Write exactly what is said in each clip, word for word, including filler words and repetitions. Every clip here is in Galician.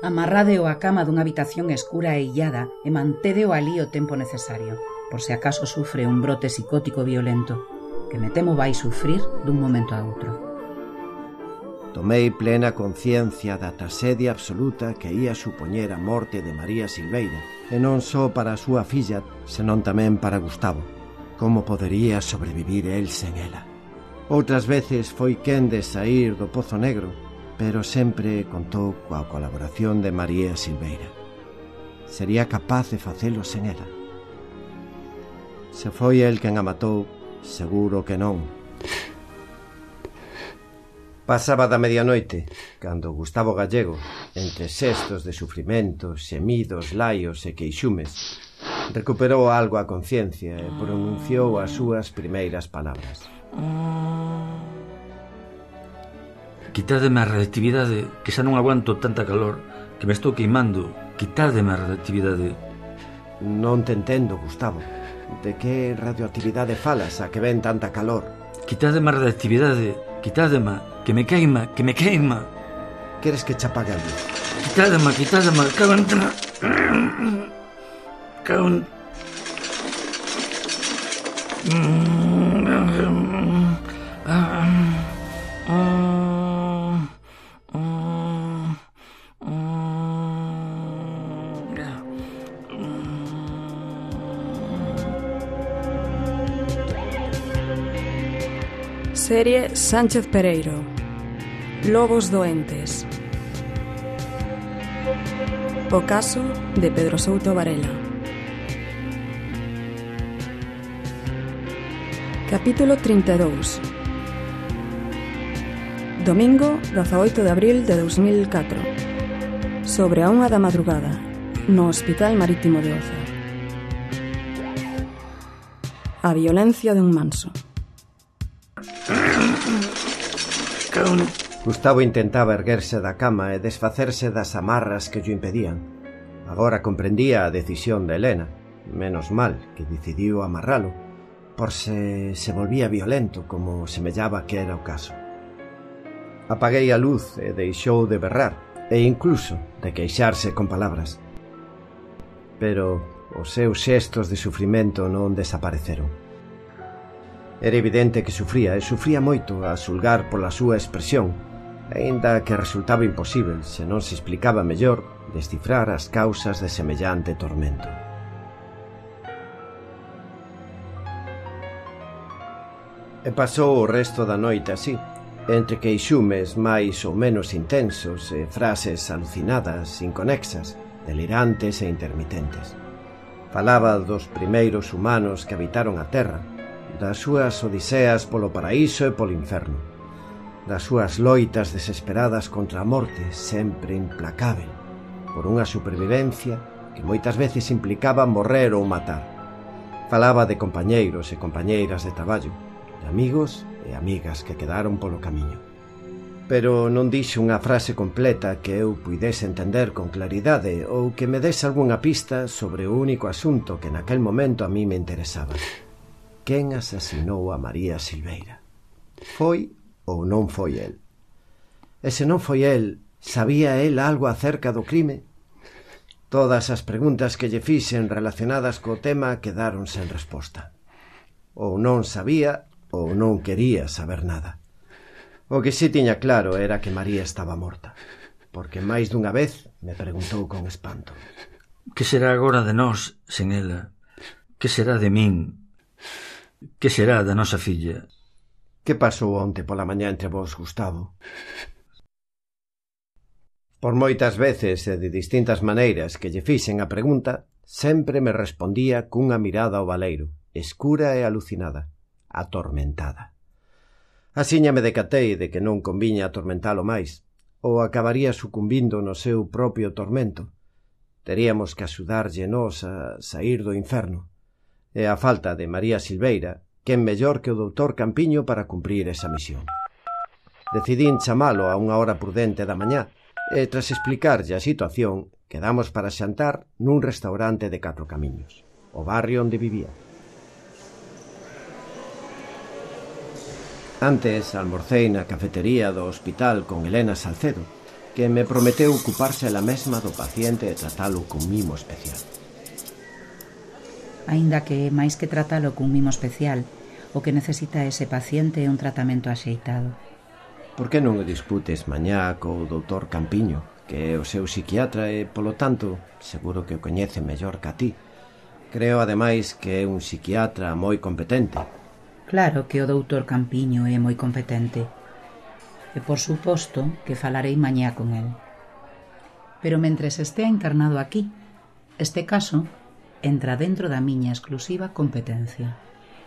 Amarrádeo á cama dunha habitación escura e illada e mantédeo alí o tempo necesario, por se acaso sufre un brote psicótico violento, que me temo vai sufrir dun momento a outro. Tomei plena conciencia da traxedia absoluta que ia supoñer a morte de María Silveira, e non só para a súa filla, senón tamén para Gustavo. Como podería sobrevivir el sen ela? Outras veces foi quen de saír do Pozo Negro, pero sempre contou coa colaboración de María Silveira. Sería capaz de facelo sen ela? Se foi el quen a matou, seguro que non. Pasaba da medianoite, cando Gustavo Gallego, entre xestos de sufrimento, xemidos, laios e queixumes, recuperou algo a conciencia e pronunciou as súas primeiras palabras. Quitádeme a radioactividade, que xa non aguanto tanta calor, que me estou queimando. Quitádeme a radioactividade. Non te entendo, Gustavo. De que radioactividade falas a que ven tanta calor? Quitádeme a radioactividade, quitádeme, que me queima, que me queima. Queres que che apague a luz? Quitádeme, quitádeme, cago en... Cago en... Serie Sánchez Pereiro. Lobos doentes. O caso de Pedro Souto Varela. Capítulo trinta e dous. Domingo, dezaoito de abril de dous mil catro. Sobre a unha da madrugada, no Hospital Marítimo de Oza. A violencia de un manso. Gustavo intentaba erguerse da cama e desfacerse das amarras que llo impedían. Agora comprendía a decisión de Helena. Menos mal que decidiu amarralo, por se se volvía violento, como semellaba que era o caso. Apaguei a luz e deixou de berrar, e incluso de queixarse con palabras. Pero os seus xestos de sufrimento non desapareceron. Era evidente que sufría, e sufría moito a xulgar pola súa expresión, aínda que resultaba imposíbel, se non se explicaba mellor, descifrar as causas de semellante tormento. E pasou o resto da noite así, entre queixumes máis ou menos intensos e frases alucinadas, inconexas, delirantes e intermitentes. Falaba dos primeiros humanos que habitaron a terra, das súas odiseas polo paraíso e polo inferno, das súas loitas desesperadas contra a morte sempre implacável, por unha supervivencia que moitas veces implicaba morrer ou matar. Falaba de compañeiros e compañeiras de traballo, de amigos e amigas que quedaron polo camiño. Pero non dixo unha frase completa que eu puidese entender con claridade ou que me dese algunha pista sobre o único asunto que naquel momento a mí me interesaba. Quen asasinou a María Silveira? Foi ou non foi el? E se non foi el, sabía el algo acerca do crime? Todas as preguntas que lle fixen relacionadas co tema quedaron sen resposta. Ou non sabía ou non quería saber nada. O que si tiña claro era que María estaba morta, porque máis dunha vez me preguntou con espanto: Que será agora de nós sen ela? Que será de min? Que será da nosa filla? Que pasou onte pola mañá entre vós, Gustavo? Por moitas veces e de distintas maneiras que lle fixen a pregunta, sempre me respondía cunha mirada ao baleiro, escura e alucinada, atormentada. Asiña me decatei de que non conviña atormentalo máis, ou acabaría sucumbindo no seu propio tormento. Teríamos que axudarlle nós a saír do inferno. E a falta de María Silveira, quen mellor que o doutor Campiño para cumprir esa misión. Decidín chamalo a unha hora prudente da mañá, e tras explicarlle a situación, quedamos para xantar nun restaurante de Catro Camiños, o barrio onde vivía. Antes almorcei na cafetería do hospital con Helena Salcedo, que me prometeu ocuparse ela mesma do paciente e tratalo con mimo especial. Aínda que, máis que tratalo cun mimo especial, o que necesita ese paciente é un tratamento axeitado. Por que non o discutes mañá co doutor Campiño, que é o seu psiquiatra e, polo tanto, seguro que o coñece mellor que a ti? Creo, ademais, que é un psiquiatra moi competente. Claro que o doutor Campiño é moi competente. E, por suposto, que falarei mañá con el. Pero mentres estea encarnado aquí, este caso entra dentro da miña exclusiva competencia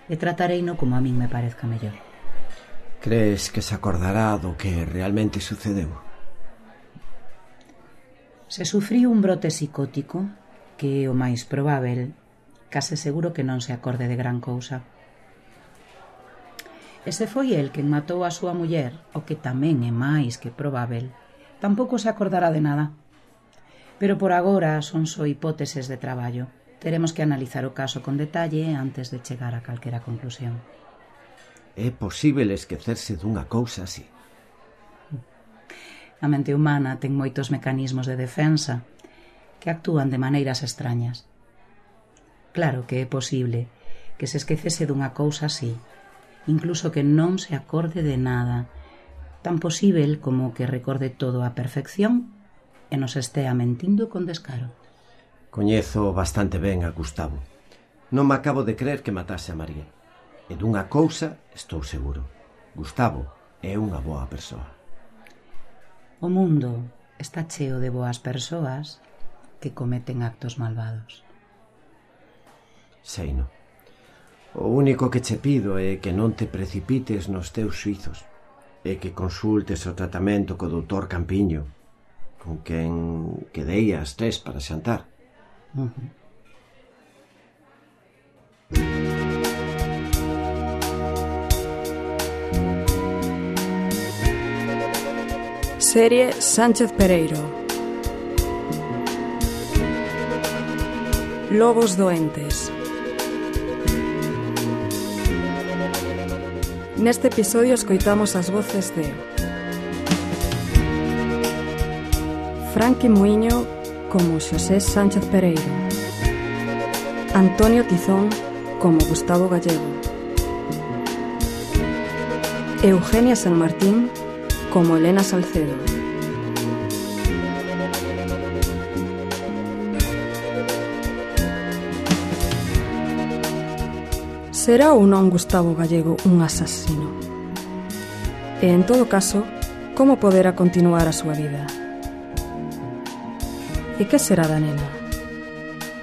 e tratareino como a min me parezca mellor. Crees que se acordará do que realmente sucedeu? Se sufriu un brote psicótico, que é o máis probável, case seguro que non se acorde de gran cousa. E se foi el quen matou a súa muller, o que tamén é máis que probável, tampouco se acordará de nada. Pero por agora son só hipóteses de traballo. Teremos que analizar o caso con detalle antes de chegar a calquera conclusión. É posible esquecerse dunha cousa así? A mente humana ten moitos mecanismos de defensa que actúan de maneiras extrañas. Claro que é posible que se esquecese dunha cousa así, incluso que non se acorde de nada, tan posível como que recorde todo a perfección e nos estea mentindo con descaro. Coñezo bastante ben a Gustavo. Non me acabo de creer que matase a María. E dunha cousa estou seguro. Gustavo é unha boa persoa. O mundo está cheo de boas persoas que cometen actos malvados. Seino. O único que che pido é que non te precipites nos teus xuizos e que consultes o tratamento co doutor Campiño, con quen quedei ás tres para xantar. Uh-huh. Serie Sánchez Pereiro. Lobos doentes. Neste episodio escoitamos as voces de Franqui Muiño como Xosé Sánchez Pereiro, Antonio Tizón como Gustavo Gallego, Eugenia San Martín como Elena Salcedo, será ou non Gustavo Gallego un asasino? E, en todo caso, como poderá continuar a súa vida? E que será da nena?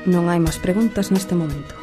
Non hai máis preguntas neste momento.